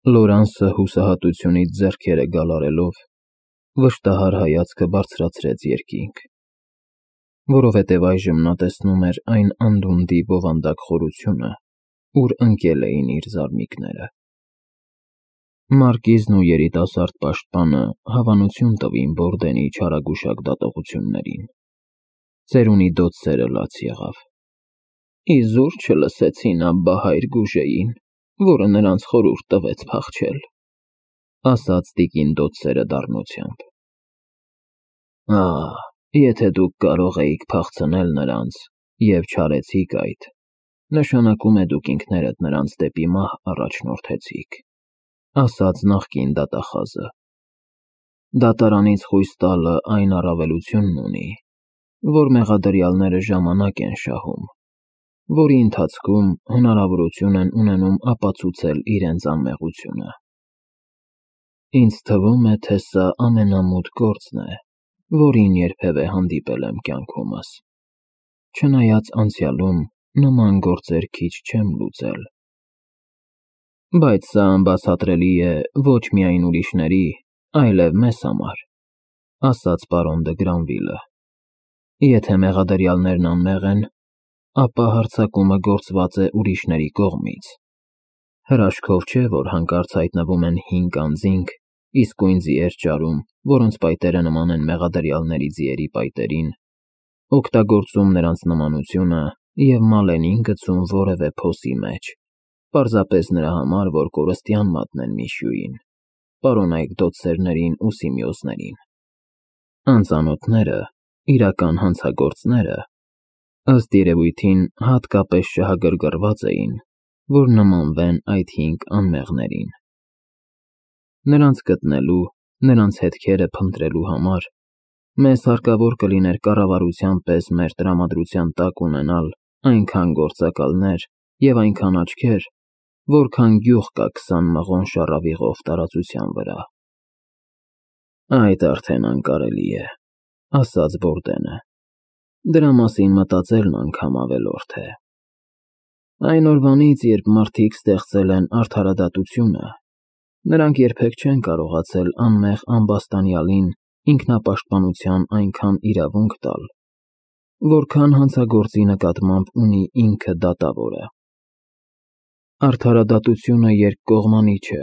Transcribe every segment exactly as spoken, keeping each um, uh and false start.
Լորանսը հուսահատությունից ձեռքերը գալարելով վշտահար հայացքը բարձրացրեց երկինք, որովհետև այժմ նա տեսնում էր այն անդունդի բովանդակ խորությունը, ուր ընկել էին իր զարմիկները։ Մարկիզն ու երիտասարդ պաշտպանը հավանություն տվին Բորդենի չարագուշակ դատողություններին։ Ծերունի դոցերը լաց եղավ։ Իզուր չլսեցին Աբբա հայր Գուժեին, որը նրանց խորհուրդ տվեց փախչել, ասաց տիկին դոցերը դառնությամբ։ Ահ, եթե դուք կարող էիք փախցնել նրանց և չարեցիք այդ, նշանակում է դուք ինքներդ նրանց դեպի մահ առաջնորդեցիք, ասաց նախկին դատախազը։ Դատարանից խույս տալը այն առավելությունն ունի, որ մեղադրյալները ժամանակ են շահում, որի ընթացքում հնարավորություն են ունենում ապացուցել իրենց անմեղությունը։ Ինձ թվում է, թե սա ամենամութ գործն է, որին երբևէ հանդիպել եմ կյանքումս, չնայած անցյալում նման գործեր քիչ չեմ լուծել։ Բայց սա անբացատրելի է ոչ միայն ուրիշների, այլև մեզ համար, ասաց պարոն դը Գրանվիլը։ Եթե մեղադրյալներն անմեղ են, ապա հարձակումը գործված է ուրիշների կողմից։ Հրաշքով չէ, որ հանկարծ հայտնվում են հինգ անձինք, իսկույն ձիեր ճարում, որոնց պայտերը նման են մեղադրյալների ձիերի պայտերին, օգտագործում նրանց նմանությունը և Մալենին գցում որևէ փոսի մեջ, պարզապես նրա համար, որ կորստյան մատնեն միշյուին, պարոնայք դոցերներին ու սիմիոզներին։ Անծանոթները, իրական հանցագործները, ըստ երևույթին հատկապես շահագրգռված էին, որ նմանվեն այդ հինգ անմեղներին։ Նրանց գտնելու, նրանց հետքերը փնտրելու համար մեզ հարկավոր կլիներ կառավարության պես մեր տրամադրության տակ ունենալ այնքան գործակալներ և այնքան աչքեր, որքան գյուղ կա քսան մղոն շառավիղով տարածության վրա։ Այդ արդեն անկարելի է, ասաց Բորդենը։ Դրա մասին մտածելն անգամ ավելորդ է։ Այն օրվանից, երբ մարդիկ ստեղծել են արդարադատությունը, նրանք երբեք չեն կարողացել անմեղ ամբաստանյալին ինքնապաշտպանության այնքան իրավունք տալ, որքան հանցագործի նկատմամբ ունի ինքը դատավորը։ Արդարադատությունը երկկողմանի չէ։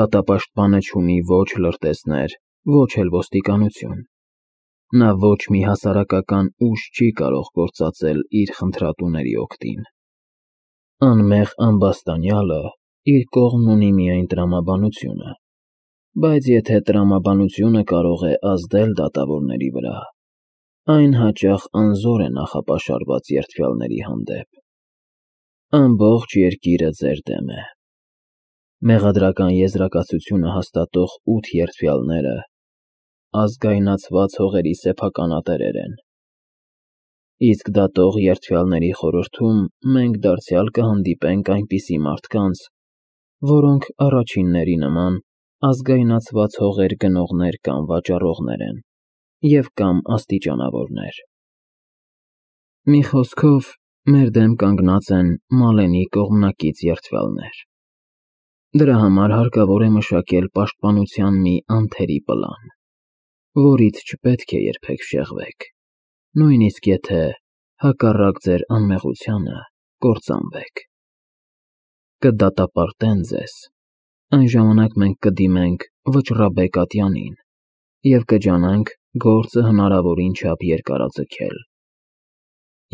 Դատապաշտպանը չունի ոչ լրտեսներ, ոչ էլ ոստիկանություն։ Նա ոչ մի հասարակական ուժ չի կարող գործածել իր խնդրատուների օգտին։ Անմեղ ամբաստանյալը իր կողմն ունի միայն տրամաբանությունը, բայց եթե տրամաբանությունը կարող է ազդել դատավորների վրա, այն հաճախ անզոր է նախապաշարված երդվյալների հանդեպ։ Ամբողջ երկիրը ձեր դեմ է։ Մեղադրական եզրակացությունը հաստատող ութ երդվյալները ազգայնացված հողերի սեփականատերեր են։ Իսկ դատող երդվյալների խորհրդում մենք դարձյալ կհանդիպենք այնպիսի մարդկանց, որոնք առաջինների նման ազգայնացված հողեր գնողներ կամ վաճառողներ են և կամ աստիճանավորներ։ Մի խոսքով, մեր դեմ կանգնած են Մալենի կողմնակից երդվյալներ։ Դրա համար հարկավոր է մշակել պաշտպանության մի անթերի պլան, որից չպետք է երբեք շեղվեք, նույնիսկ եթե, հակառակ ձեր անմեղությանը, կործանվեք։ Կդատապարտեն ձեզ, այն ժամանակ մենք կդիմենք Վճռաբեկ ատյանին և կջանանք գործը հնարավորին չափ երկարաձգել։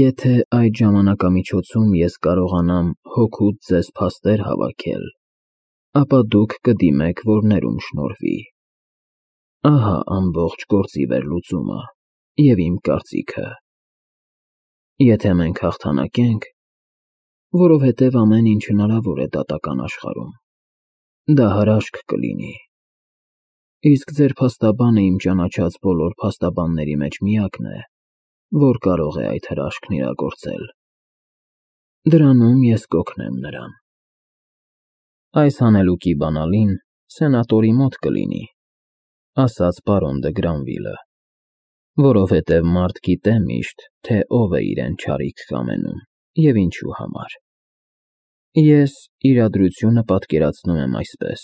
Եթե այդ ժամանակամիջոցում ես կարողանամ հօգուտ ձեզ փաստեր հավաքել, ապա դուք կդիմեք, որ ներում շնորհվի։ Ահա ամբողջ գործի վերլուծումը և իմ կարծիքը։ Եթե մենք հաղթանակենք, որովհետև ամեն ինչ հնարավոր է դատական աշխարհում, դա հրաշք կլինի։ Իսկ ձեր փաստաբանը իմ ճանաչած բոլոր փաստաբանների մեջ միակն է, որ կարող է այդ հրաշքն իրագործել։ Դրանում ես կօգնեմ նրան։ Այս հանելուկի բանալին սենատորի մոտ կլինի, ասաց պարոն դը Գրանվիլը, որովհետև մարդ գիտե միշտ, թե ով է իրեն չարիք կամենում և ինչու համար։ Ես իրադրությունը պատկերացնում եմ այսպես.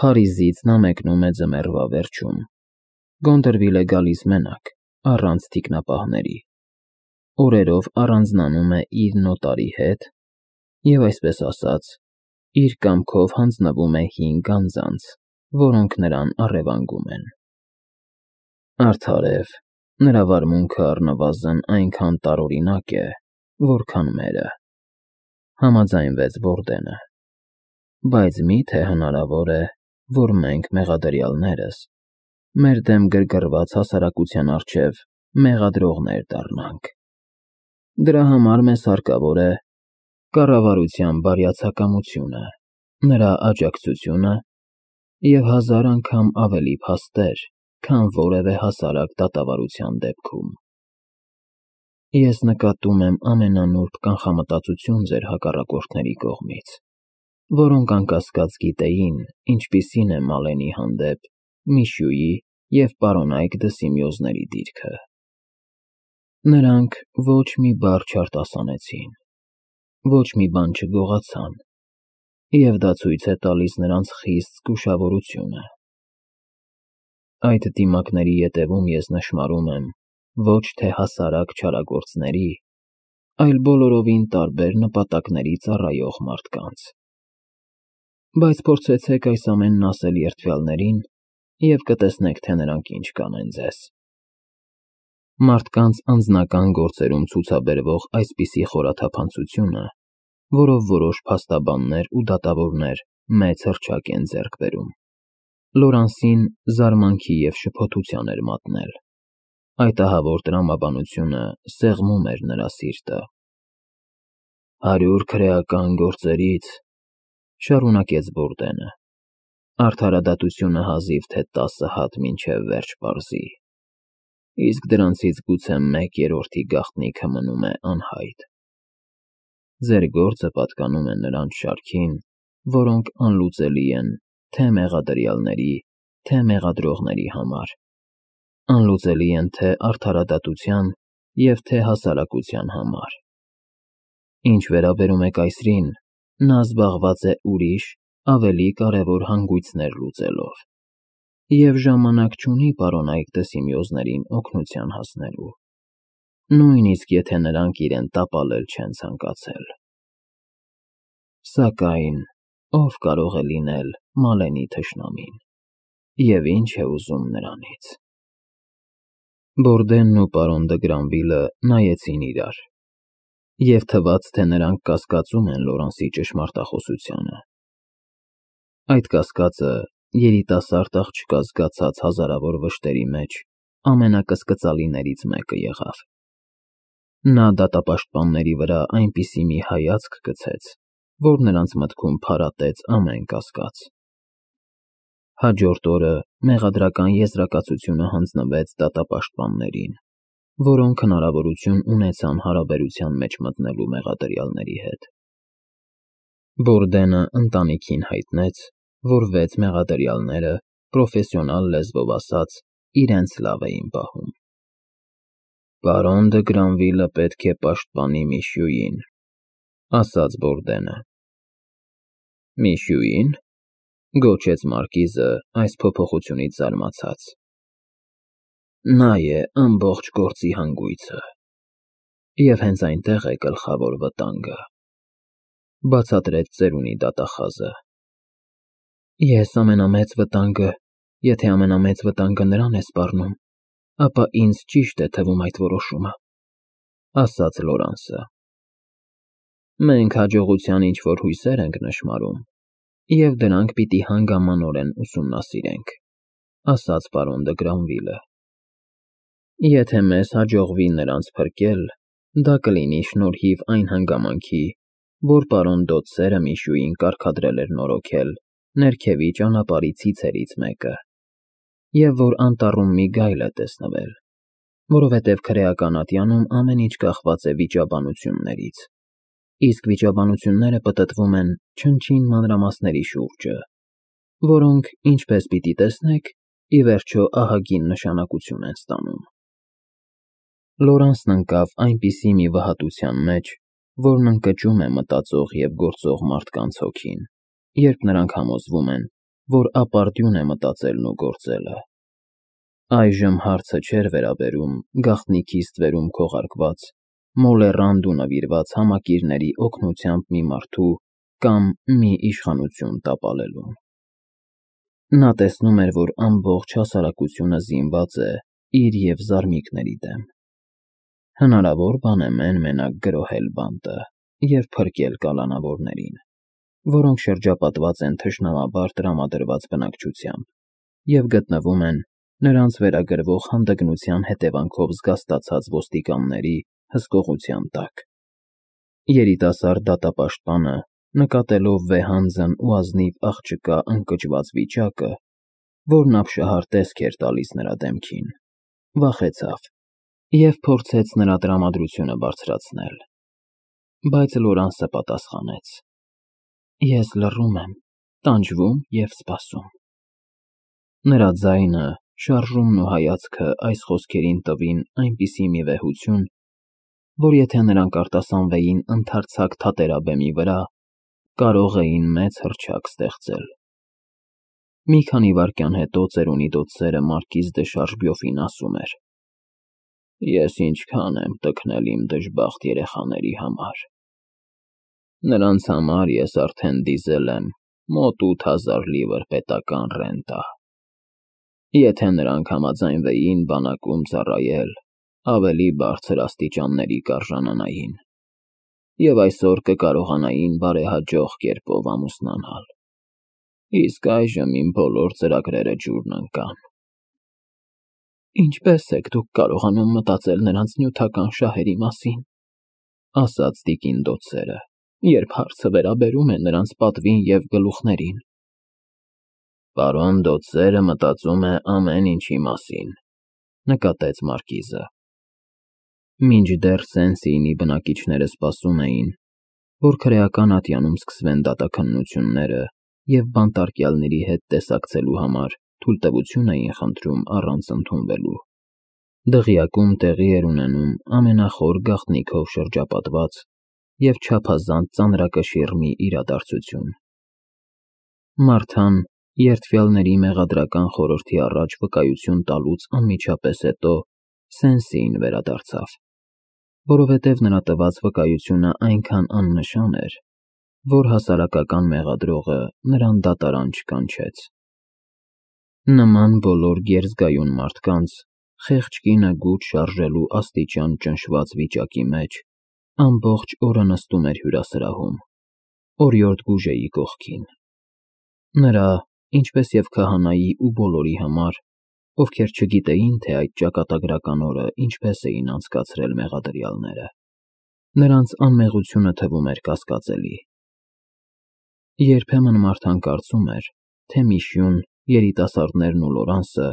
Փարիզից նա մեկնում է ձմեռվա վերջում, Գոնդրվիլ է գալիս մենակ, առանց թիկնապահների, օրերով առանձնանում է իր նոտարի հետ և, այսպես ասած, իր կամքով հանձնվում է հինգ անձանց, որոնք նրան առևանգում են։ Արդարև, նրա վարմունքը առնվազն այնքան տարօրինակ է, որքան մերը, համաձայնվեց Բորդենը, բայց մի՞թե հնարավոր է, որ մենք մեղադրյալներս մեր դեմ գրգռված հասարակության առջև մեղադրողներ դառնանք։ Դրա համար մեզ հարկավոր է կառավարության բարյացակամությունը, նրա աջակցությունը և հազար անգամ ավելի փաստեր, քան որևէ հասարակ դատավարության դեպքում։ Ես նկատում եմ ամենանուրբ կանխամտածություն ձեր հակառակորդների կողմից, որոնք անկասկած գիտեին, ինչպիսին է Մալենի հանդեպ Միշյուի և պարոնայք Դսիմեոզների դիրքը։ Նրանք ոչ մի բառ չարտասանեցին, ոչ մի բան չգողացան, և դա ցույց է տալիս նրանց խիստ զգուշավորությունը։ Այդ դիմակների ետևում ես նշմարում եմ ոչ թե հասարակ չարագործների, այլ բոլորովին տարբեր նպատակների ծառայող մարդկանց։ Բայց փորձեցեք այս ամենն ասել երդվյալներին և կտեսնեք, թե նրանք ինչ կանեն ձեզ։ Մարդկանց անձնական գործերում ցուցաբերվող այսպիսի խորաթափանցությունը, որով որոշ փաստաբաններ ու դատավորներ մեծ հռչակ են ձեռք բերում, Լորանսին զարմանքի և շփոթության էր մատնել։ Այդ ահավոր տրամաբանությունը սեղմում էր նրա սիրտը։ «Հարյուր քրեական գործերից,֊ շարունակեց Բորդենը,֊ արդարադատությունը հազիվ թե տասը հատ մինչև վերջ պարզի, իսկ դրանցից գուցե մեկ երրորդի գաղտնիքը մնում է անհայտ։ Ձեր գործը պատկանում է նրանց շարքին, որոնք անլուծելի են թե մեղադրյալների, թե մեղադրողների համար, անլուծելի են թե արդարադատության և թե հասարակության համար։ Ինչ վերաբերում է կայսրին, նա զբաղված է ուրիշ, ավելի կարևոր հանգույցներ լուծելով և ժամանակ չունի պարոնայք Դսիմեոզներին օգնության հասնելու, նույնիսկ եթե նրանք իրեն տապալել չեն ցանկացել։ Սակայն ո՞վ կարող է լինել Մալենի թշնամին, և ի՞նչ է ուզում նրանից»։ Բորդենն ու պարոն Դը Գրանվիլը նայեցին իրար, և թվաց, թե նրանք կասկածում են Լորանսի ճշմարտախոսությանը։ Այդ կասկածը երիտասարդ աղջկա զգացած հազարավոր վշտերի մեջ ամենակսկծալիներից մեկը եղավ։ Նա դատապաշտպանների վրա այնպիսի մի հայացք գցեց, որ նրանց մտքում փարատեց ամեն կասկած։ Հաջորդ օրը մեղադրական եզրակացությունը հանձնվեց դատապաշտպաններին, որոնք հնարավորություն ունեցան հարաբերության մեջ մտնելու մեղադրյալների հետ։ Բորդենը ընտանիքին հայտնեց, որ վեց մեղադրյալները, պրոֆեսիոնալ լեզվով ասած, իրենց լավ էին պահում։ «Պարոն Դը Գրանվիլը պետք է պաշտպանի Միշյուին,֊ ասաց Բորդենը։ «Միշյուի՞ն,֊ գոչեց մարկիզը այս փոփոխությունից զարմացած։ «Նա է ամբողջ գործի հանգույցը, և հենց այնտեղ է գլխավոր վտանգը,֊ բացատրեց ծերունի դատախազը։ Ես ամենամեծ վտանգը, եթե ամենամեծ վտանգը նրան է սպառնում, ապա ինձ ճիշտ է թվում այդ որոշումը,֊ ասաց Լորանսը։ Մենք հաջողության ինչ-որ հույսեր ենք նշմարում, և դրանք պիտի հանգամանորեն ուսումնասիրենք,֊ ասաց պարոն Դը Գրանվիլը։ Եթե մեզ հաջողվի նրանց փրկել, դա կլինի շնորհիվ այն հանգամանքի, որ պարոն Դոդսերը Միշյուին կարգադրել էր նորոգել ներքևի ճանապարհի ցիցերից մեկը, և որ անտառում մի գայլ է տեսնվել, որովհետև քրեական ատյանում ամեն ինչ կախված է վիճաբանություններից, իսկ վիճաբանությունները պտտվում են չնչին մանրամասների շուրջը, որոնք, ինչպես պիտի տեսնեք, ի վերջո ահագին նշանակություն են ստանում։ Լորանսն ընկավ այնպիսի մի վհատության մեջ, որն ընկճում է մտածող և գործող մարդկանց հոգին, երբ նրանք համոզվում են, որ ապարդյուն է մտածելն ու գործելը։ Այժմ հարցը չէր վերաբերում գաղտնիքի ստվերում քողարկված, մոլեռանդ ու նվիրված համակիրների օգնությամբ մի մարդու կամ մի իշխանություն տապալելուն։ Նա տեսնում էր, որ ամբողջ հասարակությունը զինված է իր և զարմիկների դեմ։ Հնարավոր բան է մեն-մենակ գրոհել բանտը և փրկել կալանավորներին, որոնք շրջապատված են թշնամաբար տրամադրված բնակչությամբ և գտնվում են նրանց վերագրվող հանդգնության հետևանքով զգաստացած ոստիկանների հսկողության տակ։ Երիտասարդ դատապաշտպանը, նկատելով վեհանձն ու ազնիվ աղջկա ընկճված վիճակը, որն ապշահար տեսք էր տալիս նրա դեմքին, վախեցավ և փորձեց նրա տրամադրությունը բարձրացնել։ Բայց Լորանսը պատասխանեց. «Ես լռում եմ, տանջվում և սպասում»։ Նրա ձայնը, շարժումն ու հայացքը այս խոսքերին տվին այնպիսի մի վեհություն, որ եթե նրանք արտասանվեին ընդարձակ թատերաբեմի վրա, կարող էին մեծ հռչակ ստեղծել։ Մի քանի վայրկյան հետո ծերունի դոցերը մարկիզ դը Շարժբյոֆին ասում էր. «Ես ինչքան եմ տքնել իմ դժբախտ երեխաների համար։ Նրանց համար ես արդեն դիզել եմ մոտ ութ հազար լիվր պետական ռենտա։ Եթե նրանք համաձայնվեին բանակում ծառայել, ավելի բարձր աստիճանների կարժանանային, և այսօր կկարողանային բարեհաջող կերպով ամուսնանալ։ Իսկ այժմ իմ բոլոր ծրագրերը ջուրն ընկան»։ «Ինչպե՞ս եք դուք կարողանում մտածել նրանց նյութական շահերի մասին», ասաց տիկին Դոցերը, «երբ հարցը վերաբերում է նրանց պատվին և գլուխներին»։ «Պարոն Դոցերը մտածում է ամեն ինչի մասին», նկատեց մարկիզը։ Մինչդեռ Սեն-Սիյնի բնակիչները սպասում էին, որ քրեական ատյանում սկսվեն դատաքննությունները և բանտարկյալների հետ տեսակցելու համար թույլտվություն էին խնդրում առանց ընդունվելու, դղյակում տեղի էր ունենում ամենախոր գաղտնիքով շրջապատված և չափազանց ծանրակշիռ մի իրադարձություն։ Մարթան երդվյալների մեղադրական խորհրդի առաջ վկայություն տալուց անմիջապես հետո Սեն-Սիյն վերադարձավ, որովհետև նրա տված վկայությունը այնքան աննշան էր, որ հասարակական մեղադրողը նրան դատարան չկանչեց։ Նման բոլոր գերզգայուն մարդկանց խեղճ կինը գութ շարժելու աստիճան ճնշված վիճակի մեջ ամբողջ օրը նստում էր հյուրասրահում, օրիորդ Գուժեի կողքին։ Նրա, ինչպես և քահանայի ու բոլորի համար, ովքեր չգիտեին, թե այդ ճակատագրական օրը ինչպես էին անցկացրել մեղադրյալները, նրանց անմեղությունը թվում էր կասկածելի։ Երբեմն Մարթան կարծում էր, թե Միշյուն, երիտասարդներն ու Լորանսը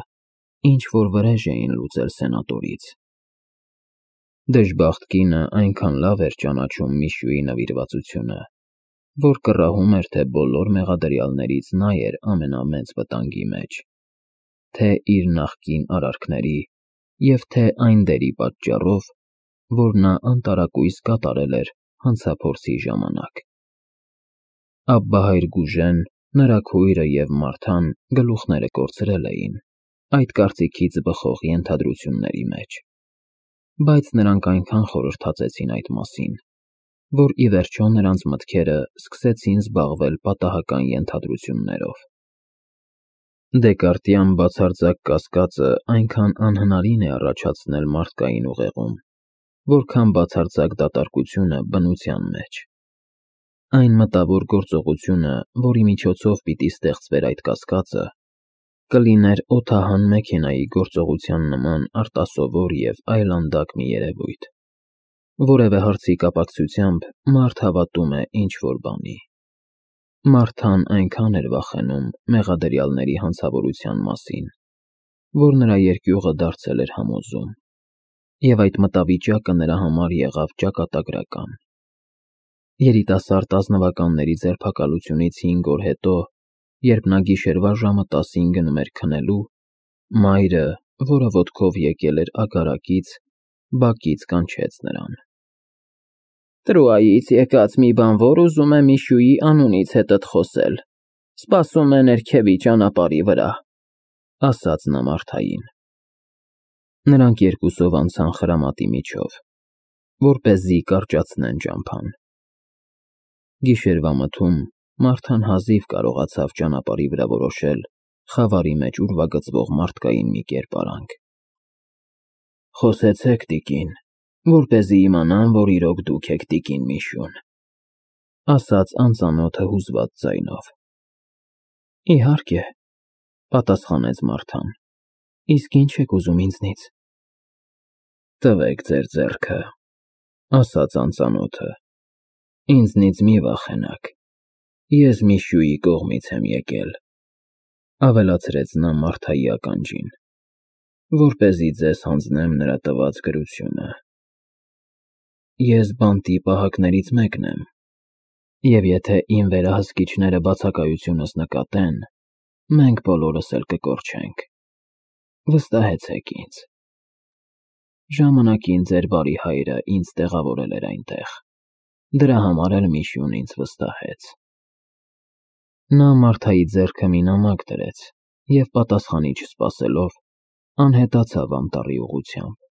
ինչ-որ վրեժ էին լուծել սենատորից։ Դժբախտ կինը այնքան լավ էր ճանաչում Միշյուի նվիրվածությունը, որ կռահում էր, թե բոլոր մեղադրյալներից նա էր ամենամեծ վտանգի մեջ, թե իր նախկին արարքների և թե այն դերի պատճառով, որ նա անտարակույս կատարել էր հանցափորձի ժամանակ։ Աբբահայր Գուժեն, նրա քույրը և Մարթան գլուխները կորցրել էին այդ կարծիքից բխող ենթադրությունների մեջ, բայց նրանք այնքան խորհրդածեցին այդ մասին, որ ի վերջո նրանց մտքերը սկսեցին զբաղվել պատահական ենթադրություններով։ Դեկարտյան բացարձակ կասկածը այնքան անհնարին է առաջացնել մարդկային ուղեղում, որքան բացարձակ դատարկությունը բնության մեջ։ Այն մտավոր գործողությունը, որի միջոցով պիտի ստեղծվեր այդ կասկածը, կլիներ օդահան մեքենայի գործողության նման արտասովոր և այլանդակ մի երևույթ։ Որևէ հարցի կապակցությամբ մարդ հավատում է ինչ-որ բանի։ Մարթան այնքան էր վախենում մեղադրյալների հանցավորության մասին, որ նրա երկյուղը դարձել էր համոզում, և այդ մտավիճակը նրա համար եղավ ճակատագրական։ Երիտասարդ ազնվականների ձերբակալությունից հինգ օր հետո, երբ նա գիշերվա ժամը տասին գնում էր քնելու, մայրը, որը ոտքով եկել էր ագարակից, բակից կանչեց նրան։ Տրուայից եկած մի բանվոր ուզում է Միշուի անունից հետդ խոսել, սպասում է ներքևի ճանապարհի վրա, ասաց նա Մարթային։ Նրանք երկուսով անցան խրամատի միջով, որպեսզի կարճացնեն ճամփան։ Գիշերվա մթում Մարթան հազիվ կարողացավ ճանապարհի վրա որոշել խավարի մեջ ուրվագծվող մարդկային մի կերպարանք։ Խոսեցեք, տիկին, որպեսզի իմանամ, որ իրոք դուք եք տիկին Միշուն, ասաց անծանոթը հուզված ձայնով։ Իհարկե, պատասխանեց Մարթան, իսկ ինչ եք ուզում ինձնից։ Տվեք ձեր ձեռքը, ասաց անծանոթը, ինձնից մի վախենաք, ես Միշուի կողմից եմ եկել, ավելացրեց նա Մարթայի ականջին, որպեսզի ձեզ հանձնեմ նրա տված գրությունը։ Ես բանտի պահակներից մեկն եմ, և եթե իմ վերահսկիչները բացակայությունս նկատեն, մենք բոլորս էլ կկորչենք, վստահեցեք ինձ։ Ժամանակին ձեր բարի հայրը ինձ տեղավորել էր այնտեղ, դրա համար էլ Միշուն ինձ վստահեց։ Նա Մարթայի ձեռքը մի նամակ դրեց և պատասխանի չսպասելով, անհետացավ անտառի ուղղությամբ։